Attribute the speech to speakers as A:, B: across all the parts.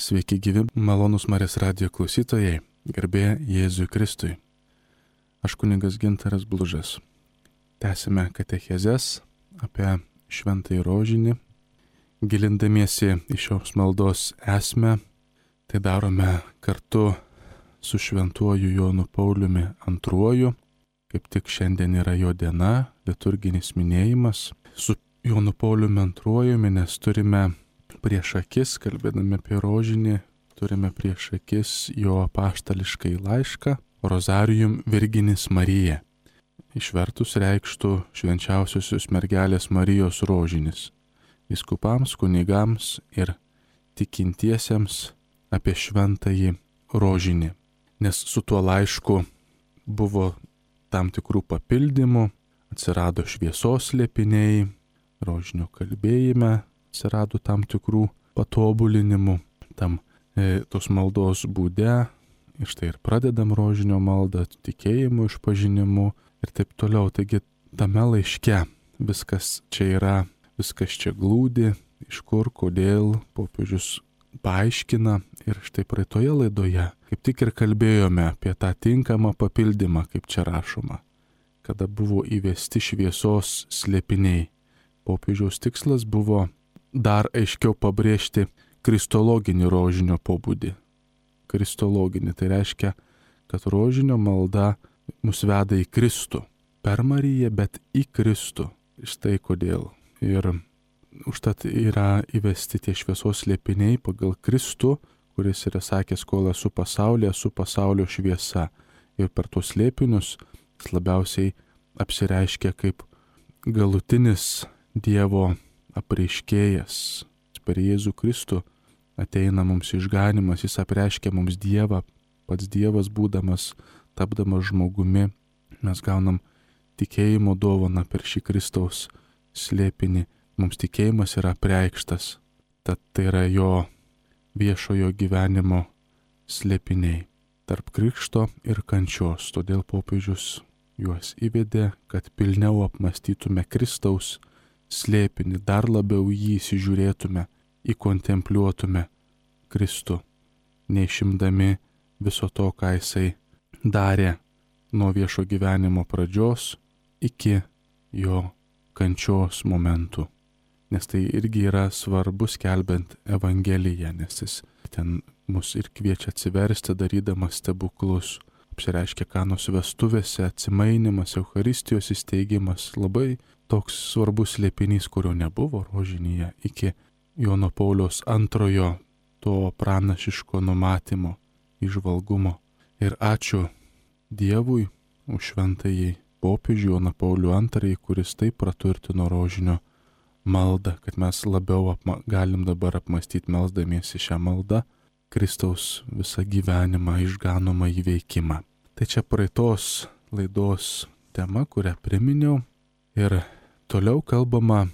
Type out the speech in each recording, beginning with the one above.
A: Sveiki gyvi, malonūs Marijos radijo klausytojai, garbė Jėzui Kristui. Aš kunigas Gintaras Blužas. Tęsime katechezes apie šventąjį rožinį. Gilindamiesi į šios maldos esmę, tai darome kartu su šventuoju Jonu Pauliumi II. Kaip tik šiandien yra jo diena, liturginis minėjimas. Su Jonu Pauliumi II, nes turime prieš akis, kalbėdami apie rožinį, turime prieš akis jo apaštališkai laišką Rozarium Virginis Marija. Išvertus reikštų švenčiausiosios mergelės Marijos rožinis. Vyskupams, kunigams ir tikintiesiems apie šventąjį rožinį. Nes su tuo laišku buvo tam tikrų papildymų, atsirado šviesos slėpiniai, rožinio kalbėjime atsirado tam tikrų patobulinimų, tos maldos būde, ir štai ir pradedam rožinio maldą, tikėjimu, išpažinimu ir taip toliau. Taigi tame laiške viskas čia yra, viskas čia glūdi, iš kur, kodėl popiežius paaiškina. Ir štai praeitoje laidoje kaip tik ir kalbėjome apie tą tinkamą papildymą, kaip čia rašoma, kada buvo įvesti šviesos slėpiniai. Popiežiaus tikslas buvo dar aiškiau pabrėžti kristologinį rožinio pobūdį. Kristologinį, tai reiškia, kad rožinio malda mus veda į Kristų. Per Mariją, bet į Kristų. Štai kodėl. Ir užtat yra įvesti tie šviesos slėpiniai pagal Kristų, kuris yra sakęs, kol esu pasaulyje, esu pasaulio šviesa. Ir per tuos slėpinius jis labiausiai apsireiškia kaip galutinis Dievo apreiškėjas. Per Jėzų Kristų ateina mums išganimas, jis apreiškia mums Dievą, pats Dievas būdamas, tapdamas žmogumi. Mes gaunam tikėjimo dovaną per šį Kristaus slėpinį. Mums tikėjimas yra apreikštas, tad tai yra jo viešojo gyvenimo slėpiniai tarp krikšto ir kančios. Todėl popiežius juos įvedė, kad pilniau apmastytume Kristaus slėpinį, dar labiau jį įsižiūrėtume, įkontempliuotume Kristų, neišimdami viso to, ką jisai darė nuo viešo gyvenimo pradžios iki jo kančios momentų. Nes tai irgi yra svarbu skelbiant Evangeliją, nes jis ten mus ir kviečia atsiversti, darydamas stebuklus. Apsireiškia Kanos vestuvėse, atsimainimas, Eucharistijos įsteigimas, labai toks svarbus slėpinys, kurio nebuvo rožinyje iki Jono Pauliaus II to pranašiško numatymo, įžvalgumo. Ir ačiū Dievui už šventąjį popiežių Joną Paulių II, kuris taip praturtino rožinio maldą, kad mes labiau galim dabar apmastyti melsdamiesi šią maldą Kristaus visą gyvenimą, išganomą įveikimą. Tai čia praeitos laidos tema, kurią priminiau. Ir toliau kalbama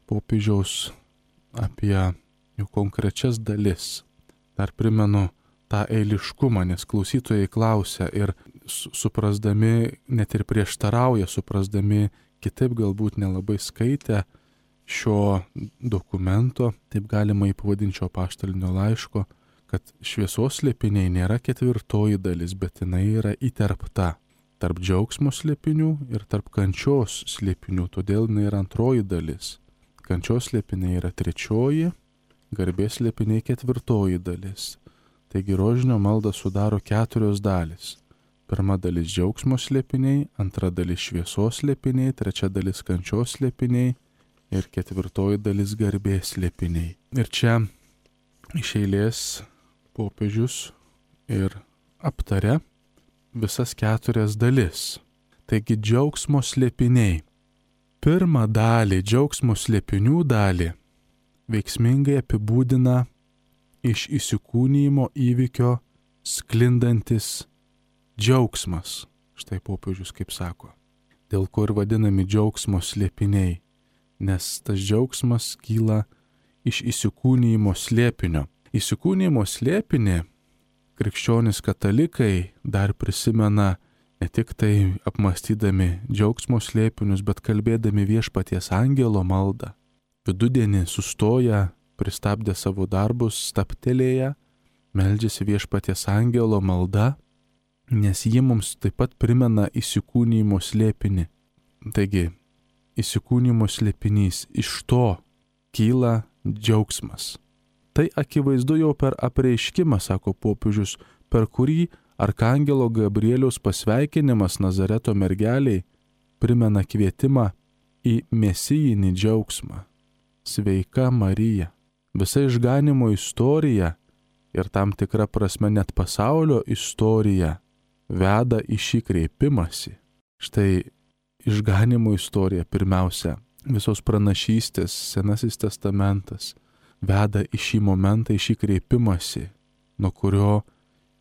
A: popiežiaus apie jų konkrečias dalis. Dar primenu tą eiliškumą, nes klausytojai klausia ir suprasdami, net ir prieštarauja, suprasdami kitaip galbūt nelabai skaitę šio dokumento, taip galima įpavadinti šio apaštalinio laiško, kad šviesos slėpiniai nėra ketvirtoji dalis, bet jinai yra įterpta tarp džiaugsmo slėpinių ir tarp kančios slėpinių, todėl jinai yra antroji dalis. Kančios slėpiniai yra trečioji, garbės slėpiniai ketvirtoji dalis. Taigi rožinio maldą sudaro 4 dalis. Pirma dalis džiaugsmo slėpiniai, antra dalis šviesos slėpiniai, trečia dalis kančios slėpiniai ir ketvirtoji dalis garbės slėpiniai. Ir čia iš eilės popiežius ir aptaria visas 4 dalis. Taigi džiaugsmo slėpiniai. Pirmą dalį, džiaugsmo slėpinių dalį, veiksmingai apibūdina iš įsikūnijimo įvykio sklindantis džiaugsmas. Štai popiežius kaip sako. Dėl ko ir vadinami džiaugsmo slėpiniai. Nes tas džiaugsmas kyla iš įsikūnijimo slėpinio. Įsikūnijimo slėpinį krikščionys katalikai dar prisimena ne tik tai apmastydami džiaugsmo slėpinius, bet kalbėdami viešpaties angelo maldą. Vidudienį sustoja, pristabdė savo darbus, stabtelėję meldžiasi Viešpaties angelo malda, nes ji mums taip pat primena įsikūnijimo slėpinį. Taigi, įsikūnijimo slėpinys, iš to kyla džiaugsmas. Tai akivaizdu jau per apreiškimą, sako popiežius, per kurį arkangelo Gabrieliaus pasveikinimas Nazareto mergeliai primena kvietimą į mesijinį džiaugsmą. Sveika Marija. Visa išganimo istorija ir tam tikra prasme net pasaulio istorija veda į šį kreipimąsi. Štai išganimo istorija pirmiausia, visos pranašystės, Senasis testamentas veda į šį momentą, į šį kreipimąsi, nuo kurio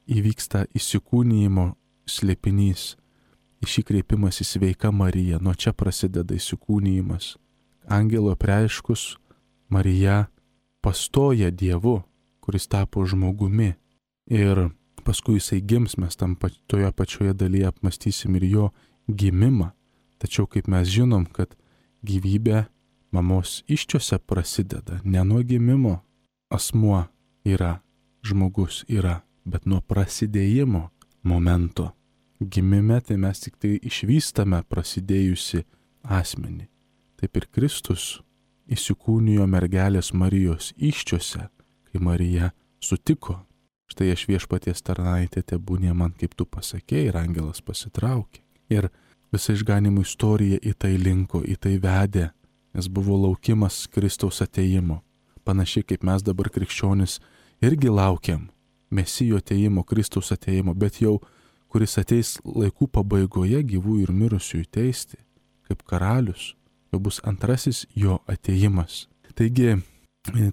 A: įvyksta įsikūnijimo slėpinys. Į šį kreipimąsi sveika Marija, nuo čia prasideda įsikūnijimas. Angelo apreiškus Marija pastoja Dievu, kuris tapo žmogumi. Ir paskui jisai gims, mes toje pačioje dalyje apmąstysim ir jo gimimą. Tačiau kaip mes žinom, kad gyvybė mamos iščiose prasideda, ne nuo gimimo asmuo yra, žmogus yra, bet nuo prasidėjimo momento. Gimime tai mes tik tai išvystame prasidėjusi asmenį. Taip ir Kristus įsikūnijo mergelės Marijos iščiose, kai Marija sutiko. Štai aš Viešpaties tarnaitė, tebūnie man kaip tu pasakėjai, ir angelas pasitraukė. Ir visa išganimo istorija į tai linko, į tai vedė, nes buvo laukimas Kristaus atėjimo. Panašiai kaip mes dabar krikščionis irgi laukiam Mesijo atėjimo, Kristaus atėjimo, bet jau kuris ateis laikų pabaigoje gyvų ir mirusiųjų teisti, kaip karalius, jau bus antrasis jo atėjimas. Taigi,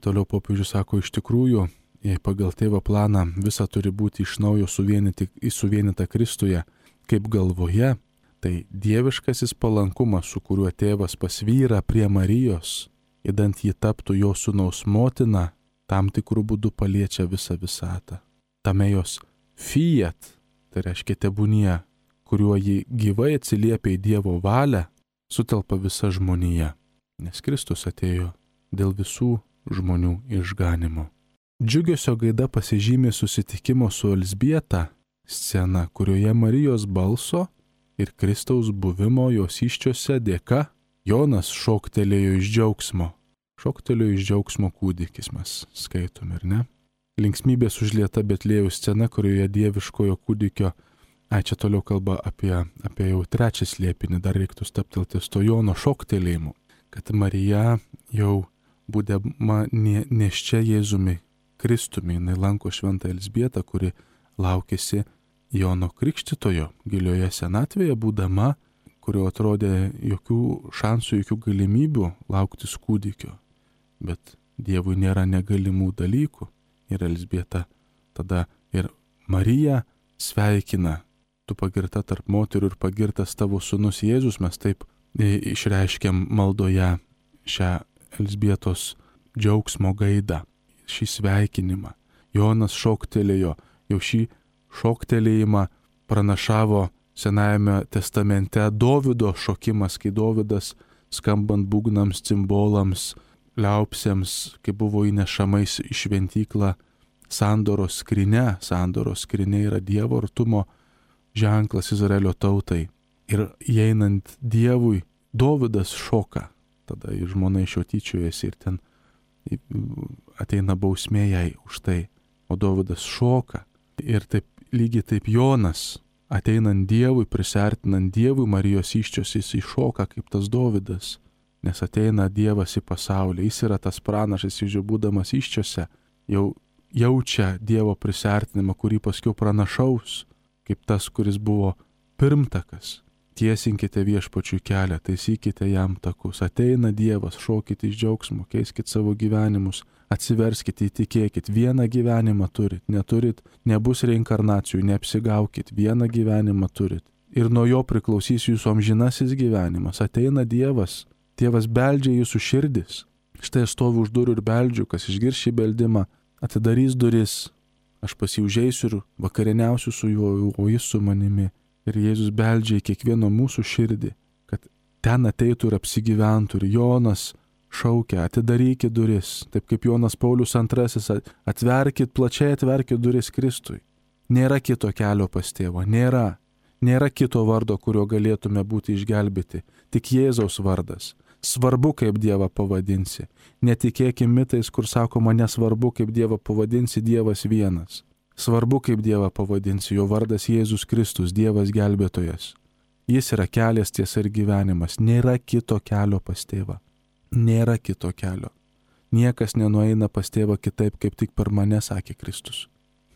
A: toliau popiežius sako, iš tikrųjų, jei pagal tėvo planą visa turi būti iš naujo suvienyta Kristuje, kaip galvoje, tai dieviškasis palankumas, su kuriuo tėvas pasvyra prie Marijos, idant ji taptų jo sūnaus motina, tam tikrų būdų paliečia visą visatą. Tame jos fiat, tai reiškia tebūnie, kuriuo ji gyvai atsiliepia į Dievo valią, sutelpa visa žmonija, nes Kristus atėjo dėl visų žmonių išganimo. Džiugesio gaida pasižymė susitikimo su Elzbieta scena, kurioje Marijos balso ir Kristaus buvimo jos iščiose dėka Jonas šoktelėjo iš džiaugsmo. Šoktelėjo iš džiaugsmo kūdikis, mes skaitom, ir ne? Linksmybės užlieta Betliejaus scena, kurioje dieviškojo kūdikio, čia toliau kalba apie jau trečią slėpinį, dar reiktų stabtelti to Jono šoktelėjimu, kad Marija jau būdama nėščia Jėzumi Kristumi, jinai lanko šventą Elzbietą, kuri laukėsi Jono Krikštytojo gilioje senatvėje būdama, kurio atrodė jokių šansų, jokių galimybių lauktis kūdikio. Bet Dievui nėra negalimų dalykų. Ir Elzbieta tada ir Marija sveikina, tu pagirta tarp moterų ir pagirtas tavo sūnus Jėzus, mes taip išreiškiam maldoje šią Elzbietos džiaugsmo gaidą, šį sveikinimą. Jonas šoktelėjo, jau šį šoktelėjimą pranašavo Senajame testamente Dovydo šokimas, kai Dovydas skambant būgnams, cimbolams, liaupsėms, kai buvo įnešamais į šventyklą sandoros skryne. Sandoros skryne yra Dievo artumo ženklas Izraelio tautai. Ir įeinant Dievui, Dovydas šoka. Tada žmona iš jo tyčiojasi ir ten ateina bausmė jai už tai. O Dovydas šoka. Ir taip, lygiai taip Jonas, ateinant Dievui, prisiartinant Dievui Marijos iščios, jis iššoka kaip tas Dovydas. Nes ateina Dievas į pasaulį, jis yra tas pranašas, jis jau būdamas iščiose, jau jaučia Dievo prisiartinimą, kurį paskiau pranašaus, kaip tas, kuris buvo pirmtakas. Tiesinkite Viešpačiui kelią, taisykite jam takus. Ateina Dievas, šokite iš džiaugsmo, keiskite savo gyvenimus, atsiverskite, įtikėkit, vieną gyvenimą turit, neturit, nebus reinkarnacijų, neapsigaukit, vieną gyvenimą turit. Ir nuo jo priklausys jūsų amžinasis gyvenimas. Ateina Dievas. Tėvas beldžia jūsų širdis. Štai aš stoviu už durų ir beldžiu, kas išgirs šį beldimą, atidarys duris. Aš pas jį užeisiu ir vakarieniausiu su juo, o jis su manimi. Ir Jėzus beldžia į kiekvieno mūsų širdį, kad ten ateitų ir apsigyventų. Ir Jonas šaukia, atidarykit duris, taip kaip Jonas Paulius II, atverkit, plačiai atverkit duris Kristui. Nėra kito kelio pas tėvą, nėra. Nėra kito vardo, kurio galėtume būti išgelbėti, tik Jėzaus vardas. Svarbu, kaip Dievą pavadinsi. Netikėkim mitais, kur sakoma, nesvarbu, kaip Dievą pavadinsi, Dievas vienas. Svarbu, kaip Dievą pavadinsi, jo vardas Jėzus Kristus, Dievas gelbėtojas. Jis yra kelias, tiesa ir gyvenimas. Nėra kito kelio pas tėvą. Nėra kito kelio. Niekas nenueina pas tėvą kitaip, kaip tik per mane, sakė Kristus.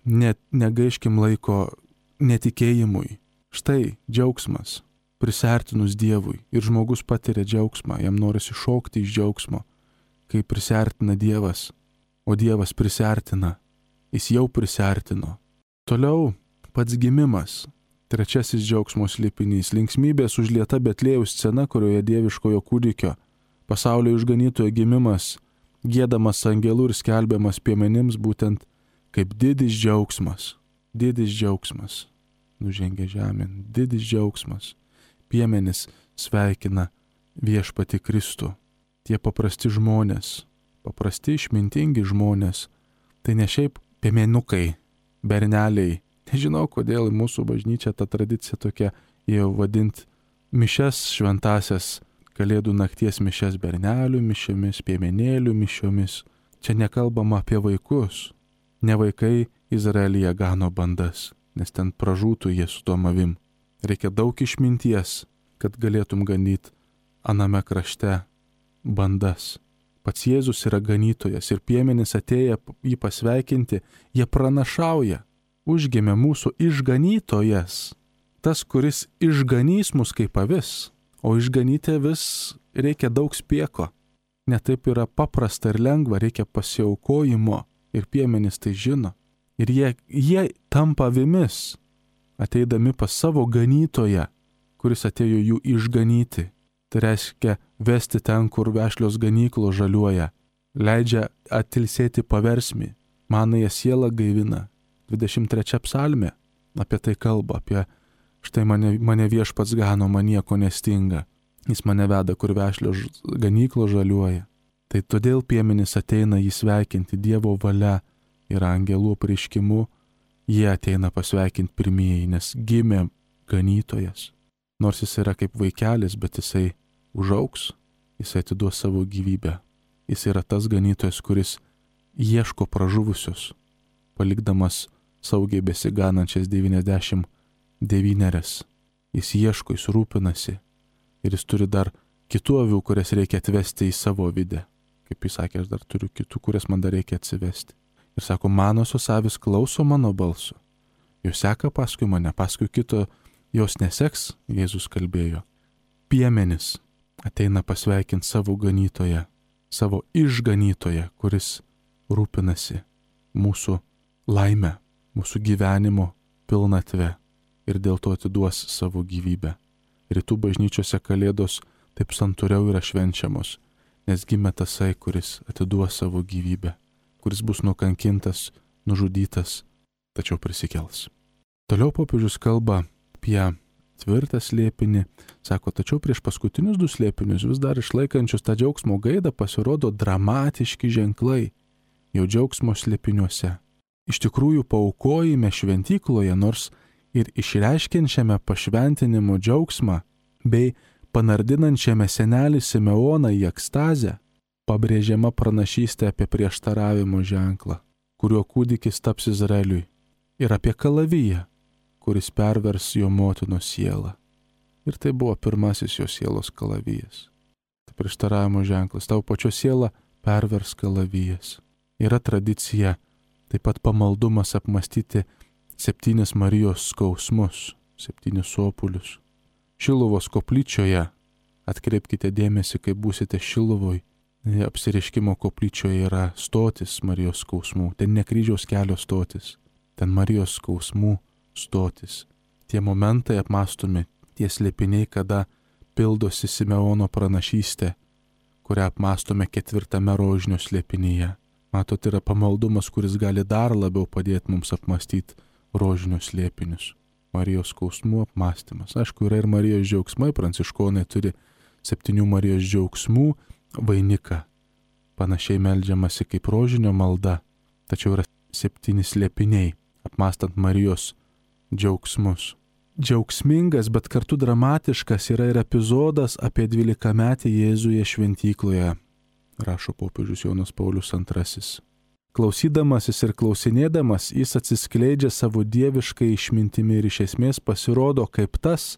A: Negaiškim laiko netikėjimui. Štai džiaugsmas, prisartinus Dievui. Ir žmogus patiria džiaugsmą, jam norisi šokti iš džiaugsmo, kai prisartina Dievas, o Dievas prisartina. Jis jau prisartino. Toliau pats gimimas. Trečiasis džiaugsmo slėpinys. Linksmybės užlieta Betlėjaus scena, kurioje dieviškojo kūdikio, pasaulio išganytojo gimimas, giedamas angelų ir skelbiamas piemenims būtent kaip didis džiaugsmas. Didis džiaugsmas. Nužengė žemėn. Didis džiaugsmas. Piemenis sveikina viešpatį Kristų. Tie paprasti žmonės, paprasti išmintingi žmonės, tai ne šiaip piemenukai, berneliai. Nežinau, kodėl mūsų bažnyčia ta tradicija tokia, jau vadinti mišes šventasias, kalėdų nakties mišes bernelių mišiomis, piemenėlių mišiomis. Čia nekalbama apie vaikus. Ne vaikai Izraelyje gano bandas, nes ten pražūtų jie su tom avim. Reikia daug išminties, kad galėtum ganyti aname krašte bandas. Pats Jėzus yra ganytojas ir piemenys atėję jį pasveikinti, jie pranašauja. Užgimė mūsų išganytojas, tas, kuris išganys mus kaip avis, o išganyti vis reikia daug spieko. Ne taip yra paprasta ir lengva, reikia pasiaukojimo ir piemenys tai žino. Ir jie tampa avimis, ateidami pas savo ganytoją, kuris atėjo jų išganyti. Tai reiškia vesti ten, kur vešlios ganyklos žaliuoja, leidžia atilsėti paversmį, manąją sielą gaivina. 23 psalmė apie tai kalba, apie štai mane viešpats gano, man nieko nestinga. Jis mane veda, kur vešlios ganyklos žaliuoja. Tai todėl piemenys ateina jį sveikinti, Dievo valia ir angelų apreiškimu. Jie ateina pasveikinti pirmieji, nes gimė ganytojas. Nors jis yra kaip vaikelis, bet jisai užaugs, jisai atiduos savo gyvybę. Jis yra tas ganytojas, kuris ieško pražuvusius, palikdamas saugiai besiganančias 99. Jis ieško, jis rūpinasi ir jis turi dar kitų avių, kurias reikia atvesti į savo vidę. Kaip jis sakė, aš dar turiu kitų, kurias man dar reikia atsivesti. Ir sako, manosios avis klauso mano balso. Jos seka paskui mane, paskui kito jos neseks, Jėzus kalbėjo. Piemenis ateina pasveikinti savo ganytoją, savo išganytoją, kuris rūpinasi mūsų laimę, mūsų gyvenimo pilnatvę ir dėl to atiduos savo gyvybę. Rytų bažnyčiose kalėdos taip santūriau yra švenčiamos, nes gimė tasai, kuris atiduos savo gyvybę, kuris bus nukankintas, nužudytas, tačiau prisikels. Toliau popiežius kalba apie tvirtą slėpinį, sako, tačiau prieš paskutinius 2 slėpinius vis dar išlaikančius tą džiaugsmo gaidą pasirodo dramatiški ženklai jau džiaugsmo slėpiniuose. Iš tikrųjų paaukojime šventykloje, nors ir išreiškiančiame pašventinimo džiaugsmą bei panardinančiame senelį Simeoną į ekstazę, pabrėžiama pranašystė apie prieštaravimo ženklą, kuriuo kūdikis taps Izraeliui, ir apie kalaviją, kuris pervers jo motinos sielą. Ir tai buvo pirmasis jo sielos kalavijas. Tai prieštaravimo ženklas, tavo pačio siela pervers kalavijas. Yra tradicija taip pat pamaldumas apmastyti 7 Marijos skausmus, 7 sopulius. Šiluvos koplyčioje, atkreipkite dėmesį, kai būsite Šiluvoj, apsireiškimo koplyčioje yra stotis Marijos skausmų, ten ne kryžiaus kelio stotis, ten Marijos skausmų stotis. Tie momentai apmastomi, tie slėpiniai, kada pildosi Simeono pranašystė, kurią apmastome 4 rožinio slėpinyje. Matot, yra pamaldumas, kuris gali dar labiau padėti mums apmastyti rožinius slėpinius. Marijos skausmų apmastymas. Aišku, yra ir Marijos džiaugsmai, pranciškonai turi 7 Marijos džiaugsmų vainiką. Panašiai meldžiamasi kaip rožinio malda, tačiau yra 7 slėpiniai, apmąstant Marijos džiaugsmus. Džiaugsmingas, bet kartu dramatiškas yra ir epizodas apie 12-metį Jėzuje šventykloje, rašo popiežius Jonas Paulius II. Klausydamasis ir klausinėdamas, jis atsiskleidžia savo dieviškai išmintimi ir iš esmės pasirodo kaip tas,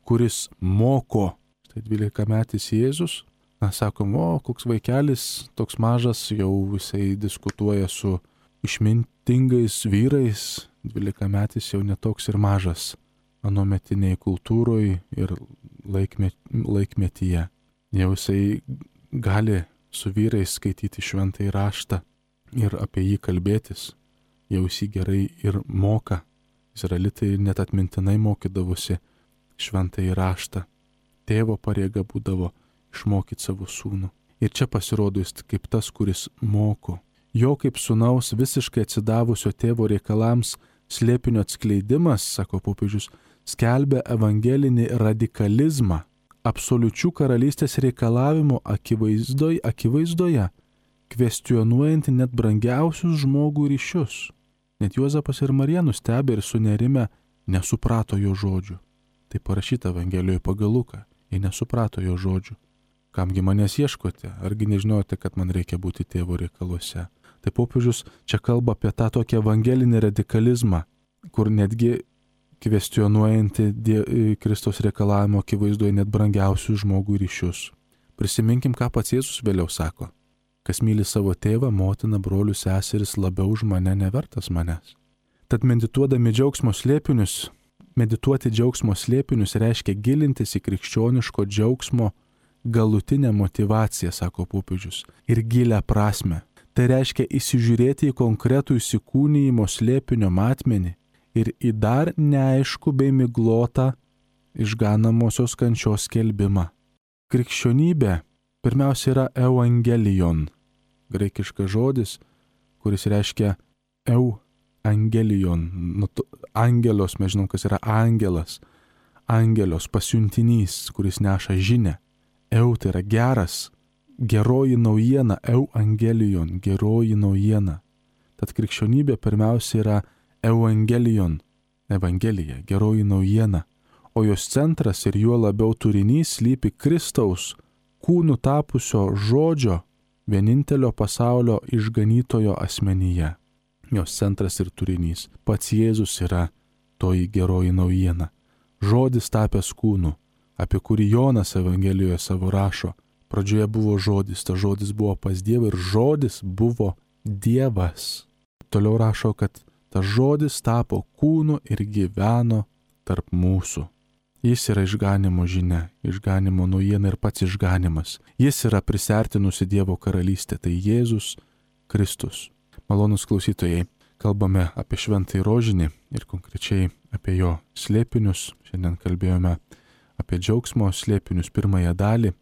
A: kuris moko. Tai 12-metis Jėzus, sakom, koks vaikelis, toks mažas, jau jisai diskutuoja su išmintingais vyrais, 12-metis jau netoks ir mažas anuometiniai kultūroje ir laikmetyje. Jau jisai gali su vyrais skaityti šventąjį raštą ir apie jį kalbėtis. Jau jis jį gerai ir moka. Izraelitai net atmintinai mokydavosi šventąjį raštą. Tėvo pareiga būdavo išmokyti savo sūnų. Ir čia pasirodo jis kaip tas, kuris moko. Jo kaip sūnaus visiškai atsidavusio tėvo reikalams slėpinio atskleidimas, sako popiežius, skelbia evangelinį radikalizmą, absoliučių karalystės reikalavimų akivaizdoje, kvestionuojantį net brangiausius žmogų ryšius. Net Juozapas ir Marija nustebę ir sunerime nesuprato jo žodžių. Tai parašyta Evangelijoje pagal Luką, jie nesuprato jo žodžių. Kamgi manęs ieškote, argi nežinote, kad man reikia būti tėvo reikaluose. Tai popiežius čia kalba apie tą tokį evangelinį radikalizmą, kur netgi kvestionuojantį Kristaus reikalavimo akivaizdoje net brangiausius žmogų ryšius. Prisiminkim, ką pats Jėzus vėliau sako. Kas myli savo tėvą, motiną, brolius, seseris labiau už mane, nevertas manęs. Tad medituoti džiaugsmo slėpinius reiškia gilintis į krikščioniško džiaugsmo galutinę motyvaciją, sako popiežius, ir gilę prasme. Tai reiškia įsižiūrėti į konkretų įsikūnijimo slėpinio matmenį ir į dar neaišku bei miglotą išganamosios kančios skelbimą. Krikščionybė pirmiausia yra evangelion, graikiškas žodis, kuris reiškia evangelion, angelos, mes žinom, kas yra angelas, angelios pasiuntinys, kuris neša žinią. Tai yra geras, geroji naujiena, evangelion, geroji naujiena. Tad krikščionybė pirmiausia yra evangelion, evangelija, geroji naujiena, o jos centras ir juo labiau turinys slypi Kristaus kūnų tapusio žodžio, vienintelio pasaulio išganytojo asmenyje. Jos centras ir turinys. Pats Jėzus yra toji geroji naujiena. Žodis tapęs kūnu, apie kurį Jonas Evangelijoje savo rašo. Pradžioje buvo žodis, tas žodis buvo pas Dievą ir žodis buvo Dievas. Toliau rašo, kad tas žodis tapo kūnu ir gyveno tarp mūsų. Jis yra išganimo žinia, išganimo naujiena ir pats išganimas. Jis yra prisertinusi Dievo karalystė, tai Jėzus Kristus. Malonūs klausytojai, kalbame apie šventąjį rožinį ir konkrečiai apie jo slėpinius. Šiandien kalbėjome apie džiaugsmo slėpinius pirmąją dalį.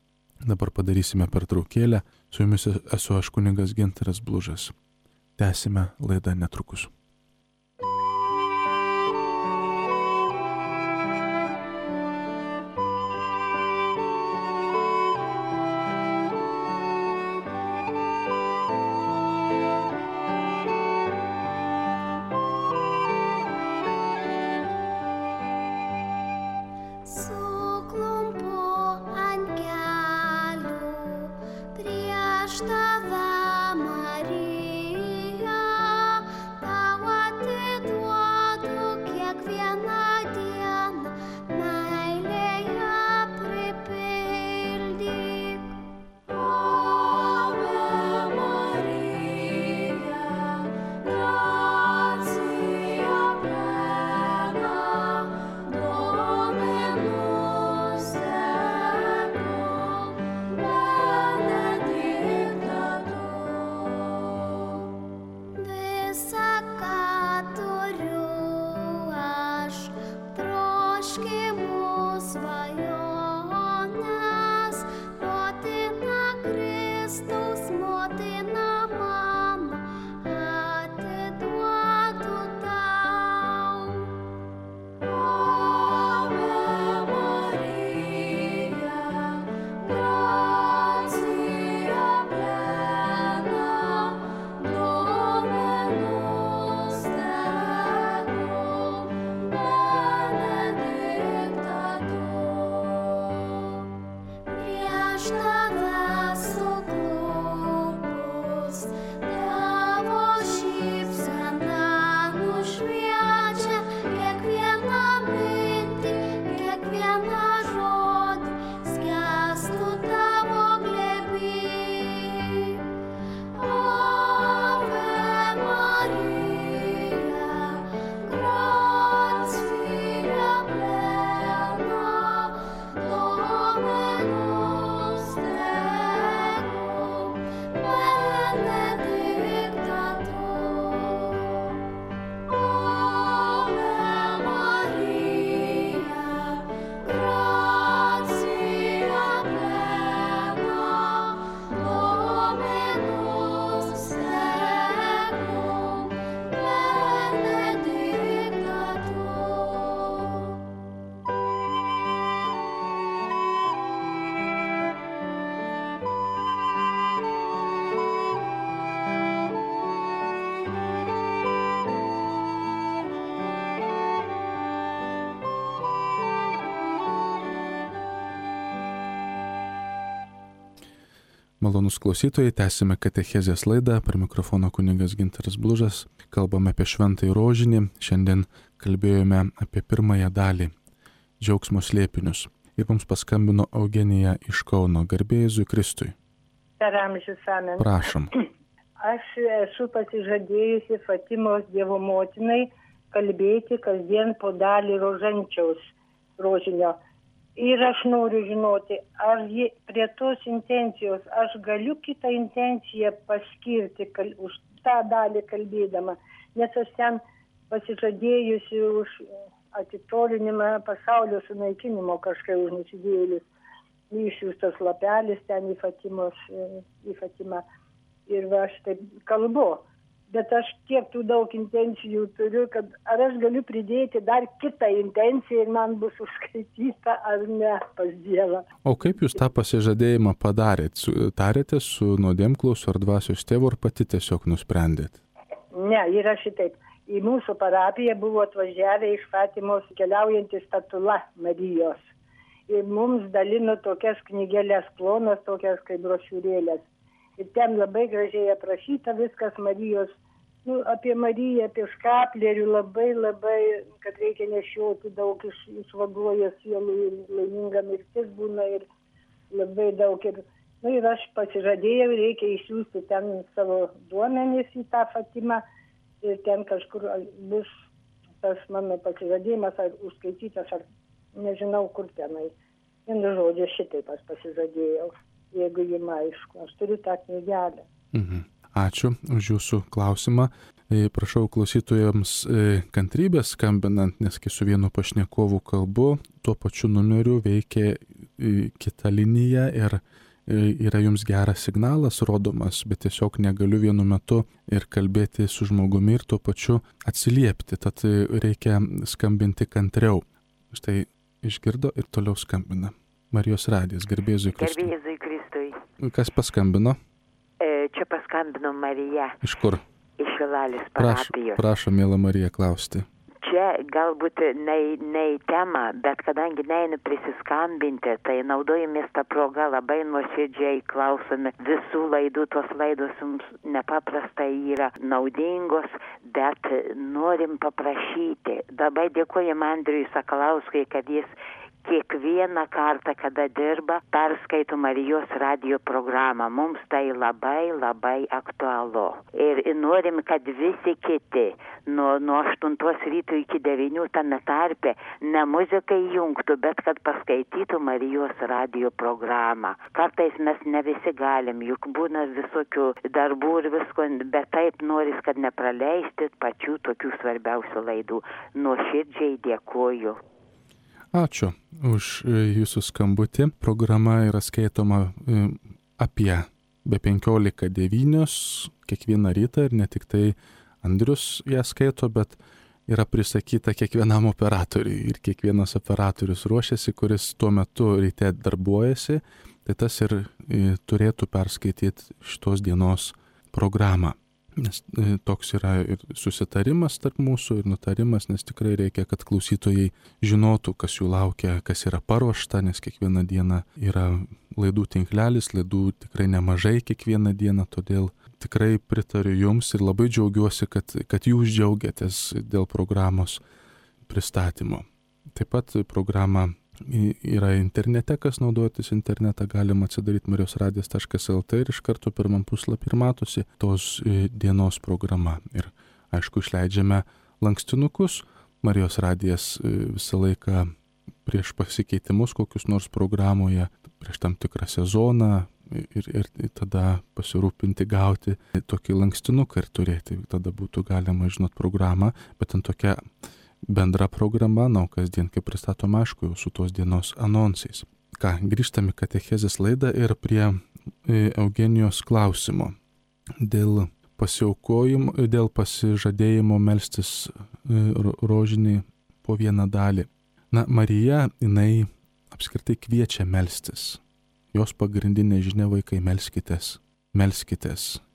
A: Dabar padarysime pertraukėlę. Su jumis esu aš kunigas Gintaras Blužas. Tęsime laidą netrukus. Malonus klausytojai, tęsime katechezės laidą, per mikrofoną kunigas Gintaras Blužas, kalbame apie šventąjį rožinį, šiandien kalbėjome apie pirmąją dalį – džiaugsmo slėpinius. Ir mums paskambino Eugenija iš Kauno, garbė Jėzui Kristui.
B: Per amžius amen.
A: Prašom.
B: Aš esu pasižadėjusi Fatimos Dievo motinai kalbėti kasdien po dalį rožančiaus rožinio. Ir aš noriu žinoti, ar prie tos intencijos aš galiu kitą intenciją paskirti už tą dalį kalbėdama, nes aš ten pasižadėjusi už atitolinimą pasaulio sunaikinimo kažkai už nusidėjėlius. Išsiųstas lapelis ten į Fatimą. Ir va aš taip kalbu. Bet aš tiek tų daug intencijų turiu, kad ar aš galiu pridėti dar kitą intenciją ir man bus užskaityta ar ne pas Dievą.
A: O kaip jūs tą pasižadėjimą padarėt? Tarėte su nuodėmklausiu ar dvasios tėvu ar pati tiesiog nusprendėt?
B: Ne, yra šitaip. Į mūsų parapiją buvo atvažiavę iš Fatimos keliaujanti statula Marijos. Ir mums dalino tokias knygelės plonas, tokias kaip brošiūrėlės. Ir ten labai gražiai aprašyta viskas Marijos, apie Mariją, apie škaplerių, labai, kad reikia nešioti daug, išvaduoja sielų ir laiminga mirtis būna ir labai daug. Ir aš pasižadėjau, reikia išsiųsti ten savo duomenis į tą Fatimą ir ten kažkur bus tas mano pasižadėjimas ar užskaitytas, ar nežinau kur tenai. Vienu žodžiu, šitaip aš pasižadėjau. Jeigu jums aišku, aš turiu tą knygelę.
A: Ačiū už jūsų klausimą. Prašau klausytojams kantrybės skambinant, nes kai su vienu pašnekovu kalbu, tuo pačiu numeriu veikia kita linija ir yra jums geras signalas rodomas, bet tiesiog negaliu vienu metu ir kalbėti su žmogumi ir tuo pačiu atsiliepti, tad reikia skambinti kantriau. Štai išgirdo ir toliau skambina. Marijos radijas, garbė Jėzui Kristui.
C: Garbė Jėzui Kristui.
A: Kas paskambino?
C: Čia paskambino Marija.
A: Iš kur?
C: Iš Šilalės parapijos.
A: Prašom, mėla Marija, klausti.
C: Čia galbūt ne į temą, bet kadangi neinu prisiskambinti, tai naudojamės tą progą, labai nuoširdžiai klausome visų laidų. Tos laidos mums nepaprastai yra naudingos, bet norim paprašyti. Labai dėkojam Andriui Sakalauskui, kad jis kiekvieną kartą, kada dirba, perskaito Marijos radijo programą. Mums tai labai aktualu. Ir norim, kad visi kiti nuo 8 ryto iki 9 tame tarpe ne muzikai jungtų, bet kad paskaitytų Marijos radijo programą. Kartais mes ne visi galim, juk būna visokių darbų ir visko, bet taip noris, kad nepraleisti pačių tokių svarbiausių laidų. Nuoširdžiai dėkoju.
A: Ačiū už jūsų skambutį. Programa yra skaitoma apie be 15:09 kiekvieną rytą ir ne tik tai Andrius ją skaito, bet yra prisakyta kiekvienam operatoriui ir kiekvienas operatorius ruošiasi, kuris tuo metu ryte darbuojasi, tai tas ir turėtų perskaityti šitos dienos programą. Nes toks yra ir susitarimas tarp mūsų ir nutarimas, nes tikrai reikia, kad klausytojai žinotų, kas jų laukia, kas yra paruošta, nes kiekvieną dieną yra laidų tinklelis, laidų tikrai nemažai kiekvieną dieną, todėl tikrai pritariu jums ir labai džiaugiuosi, kad jūs džiaugiatės dėl programos pristatymo. Taip pat programa yra internete, kas naudotis internetą, galima atsidaryti marijosradijas.lt ir iš karto pirmam puslapį ir matosi tos dienos programa. Ir aišku, išleidžiame lankstinukus. Marijos radijas visą laiką prieš pasikeitimus kokius nors programoje, prieš tam tikrą sezoną ir tada pasirūpinti gauti tokį lankstinuką ir turėti. Tada būtų galima žinot programą, bet ant tokia bendra programa, kasdien kaip pristatom, aišku, jau su tos dienos anonsais. Grįžtame į katechezės laidą ir prie Eugenijos klausimo dėl pasiaukojimo, dėl pasižadėjimo melstis rožinį po vieną dalį. Marija, jinai apskritai kviečia melstis. Jos pagrindinė žinia: vaikai, melskitės.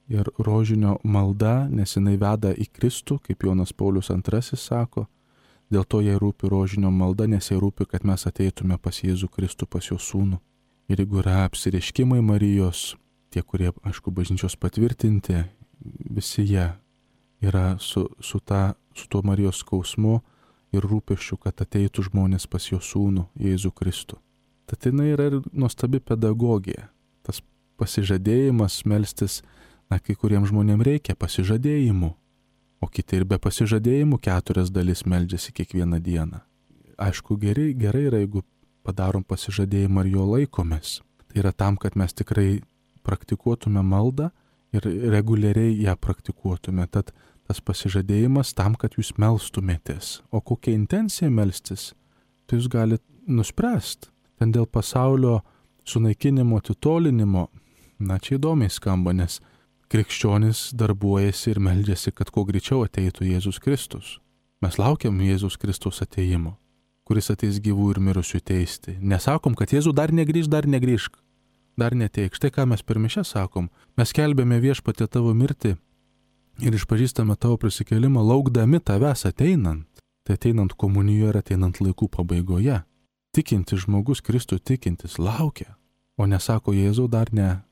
A: Ir rožinio malda, nes jinai veda į Kristų, kaip Jonas Paulius II sako. Dėl to jai rūpi rožinio malda, nes jai rūpi, kad mes ateitume pas Jėzų Kristų, pas jo sūnų. Ir jeigu yra apsireiškimai Marijos, tie, kurie, aišku, bažnyčios patvirtinti, visi jie yra su tuo Marijos skausmu ir rūpesčiu, kad ateitų žmonės pas jo sūnų Jėzų Kristų. Tad jinai yra ir nuostabi pedagogija. Tas pasižadėjimas melstis, kai kuriems žmonėms reikia pasižadėjimų, o kiti ir be pasižadėjimų 4 dalis meldžiasi kiekvieną dieną. Aišku, gerai yra, jeigu padarom pasižadėjimą ir jo laikomės. Tai yra tam, kad mes tikrai praktikuotume maldą ir reguliariai ją praktikuotume. Tad tas pasižadėjimas tam, kad jūs melstumėtės. O kokia intencija melstis, tai jūs galite nuspręsti. Ten dėl pasaulio sunaikinimo, atitolinimo, čia įdomiai skamba, nes krikščionis darbuojasi ir meldžiasi, kad kuo greičiau ateitų Jėzus Kristus. Mes laukiam Jėzus Kristaus ateimo, kuris ateis gyvų ir mirusių teisti. Nesakom, kad Jėzų dar negrįžk, dar neteik. Štai ką mes per mišias sakom. Mes skelbėme Viešpatie tavo mirtį ir išpažįstame tavo prisikėlimą, laukdami tavęs ateinant. Tai ateinant komunijoje ir ateinant laikų pabaigoje. Tikintis žmogus, Kristų tikintis, laukia, o nesako Jėzau dar ne.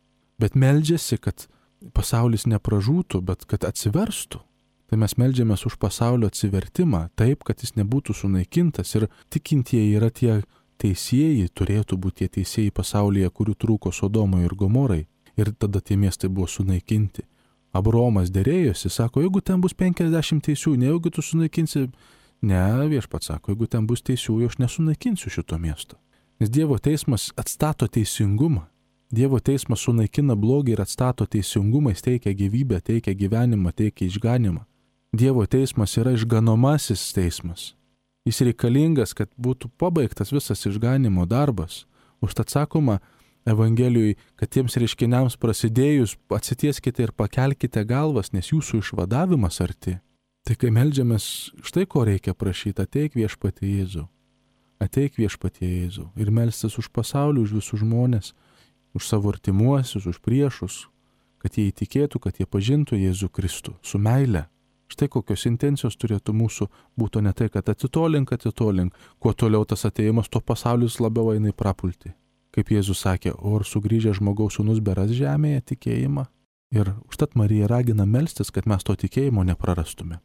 A: Bet meldžiasi, kad pasaulis nepražūtų, bet kad atsiverstų. Tai mes meldžiamės už pasaulio atsivertimą, taip, kad jis nebūtų sunaikintas. Ir tikintieji yra tie teisėjai, turėtų būti tie teisėjai pasaulyje, kurių trūko Sodomai ir Gomorai. Ir tada tie miestai buvo sunaikinti. Abraomas derėjosi, sako, jeigu ten bus 50 teisių, nejaugi tu sunaikinsi. Ne, Viešpats sako, jeigu ten bus teisių, aš nesunaikinsiu šito miesto. Nes Dievo teismas atstato teisingumą. Dievo teismas sunaikina blogį ir atstato teisingumą, jis teikia gyvybę, teikia gyvenimą, teikia išganimą. Dievo teismas yra išganomasis teismas. Jis reikalingas, kad būtų pabaigtas visas išganimo darbas. Užtat sakoma Evangelijoje, kad tiems reiškiniams prasidėjus atsitieskite ir pakelkite galvas, nes jūsų išvadavimas arti. Tai kai meldžiamės, štai ko reikia prašyti, ateik Viešpatie Jėzau. Ateik Viešpatie Jėzau. Ir melstis už pasaulį, už visus žmonės, už savo artimuosius, už priešus, kad jie įtikėtų, kad jie pažintų Jėzų Kristų su meile. Štai kokios intencijos turėtų mūsų būtų ne tai, kad atitolink. Kuo toliau tas atėjimas, tuo pasaulis labiau eina į prapultį. Kaip Jėzus sakė, o ar sugrįžę žmogaus sūnus beras žemėje tikėjimą? Ir užtat Marija ragina melstis, kad mes to tikėjimo neprarastume.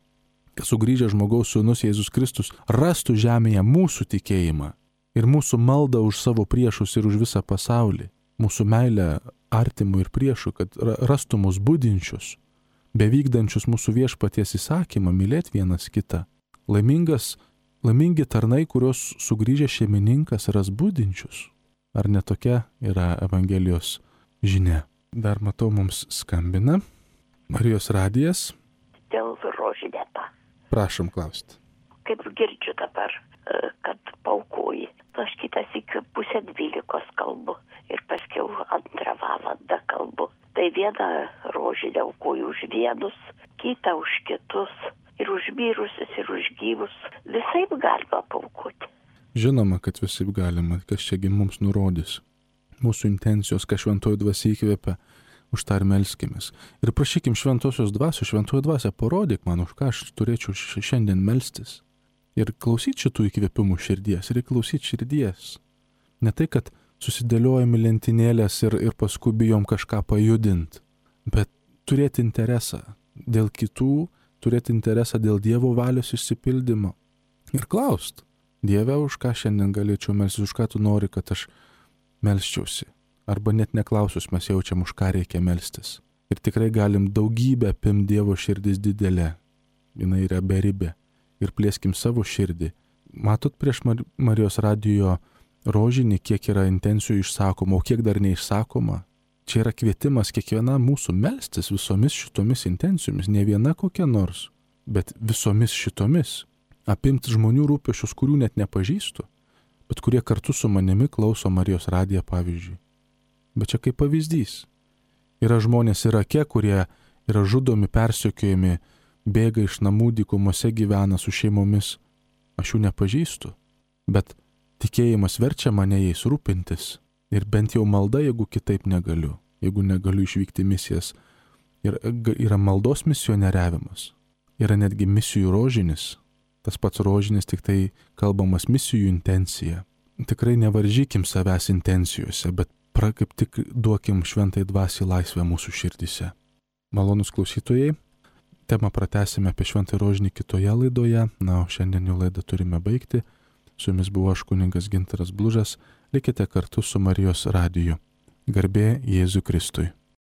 A: Kad sugrįžę žmogaus sūnus Jėzus Kristus rastų žemėje mūsų tikėjimą ir mūsų maldą už savo priešus ir už visą pasaulį. Mūsų meilę artimų ir priešų, kad rastų mus budinčius, bevykdančius mūsų Viešpaties įsakymą mylėti vienas kitą. Laimingi tarnai, kurios sugrįžę šeimininkas ras budinčius. Ar ne tokia yra Evangelijos žinia? Dar matau, mums skambina Marijos radijas.
D: Dėl rožinėto.
A: Prašom klausti.
D: Kaip girdžiu dabar, kad paukoji. Aš kitas iki 11:30 kalbu ir paskiau 2 valandą kalbu. Tai vieną rožinę aukoju už vienus, kitą už kitus, ir už mirusius, ir už gyvus. Visaip galima paukoti.
A: Žinoma, kad visaip galima, kas čiagi mums nurodys. Mūsų intencijos, ką šventoji dvasia įkvėpia, už tą ir melskimės. Ir prašykim šventosios dvasios, šventoji dvasia, parodyk man, už ką aš turėčiau šiandien melstis. Ir klausyti šitų įkvėpimų širdies, ir klausyti širdies. Ne tai, kad susidėliojami lentynėlės ir paskui bijom kažką pajudinti, bet turėti interesą dėl kitų, turėti interesą dėl Dievo valios išsipildymo. Ir klaust, Dieve, už ką šiandien galėčiau melstis, už ką tu nori, kad aš melsčiausi. Arba net neklausus mes jaučiam, už ką reikia melstis. Ir tikrai galim daugybę apimti Dievo širdis didelė. Jinai yra beribė. Ir plėskim savo širdį. Matot prieš Marijos radijo rožinį, kiek yra intencijų išsakoma, o kiek dar neišsakoma. Čia yra kvietimas kiekviena mūsų melstis visomis šitomis intencijomis. Ne viena kokia nors, bet visomis šitomis. Apimti žmonių rūpesčius, kurių net nepažįstu, bet kurie kartu su manimi klauso Marijos radiją pavyzdžiui. Bet čia kaip pavyzdys. Yra žmonės Irake, kurie yra žudomi, persekiojami, bėga iš namų, dykumose gyvena su šeimomis. Aš jų nepažįstu, bet tikėjimas verčia mane jais rūpintis. Ir bent jau malda, jeigu kitaip negaliu, jeigu negaliu išvykti misijas. Ir yra maldos misionieriavimas. Yra netgi misijų rožinis. Tas pats rožinis, tik tai kalbamas misijų intencija. Tikrai nevaržykim savęs intencijose, bet kaip tik duokim šventai dvasiai laisvę mūsų širdise. Malonus klausytojai, temą pratęsime apie šventąjį rožinį kitoje laidoje, na, o šiandien jau laidą turime baigti. Su jumis buvo aš kunigas Gintaras Blužas, likite kartu su Marijos radiju. Garbė Jėzui Kristui.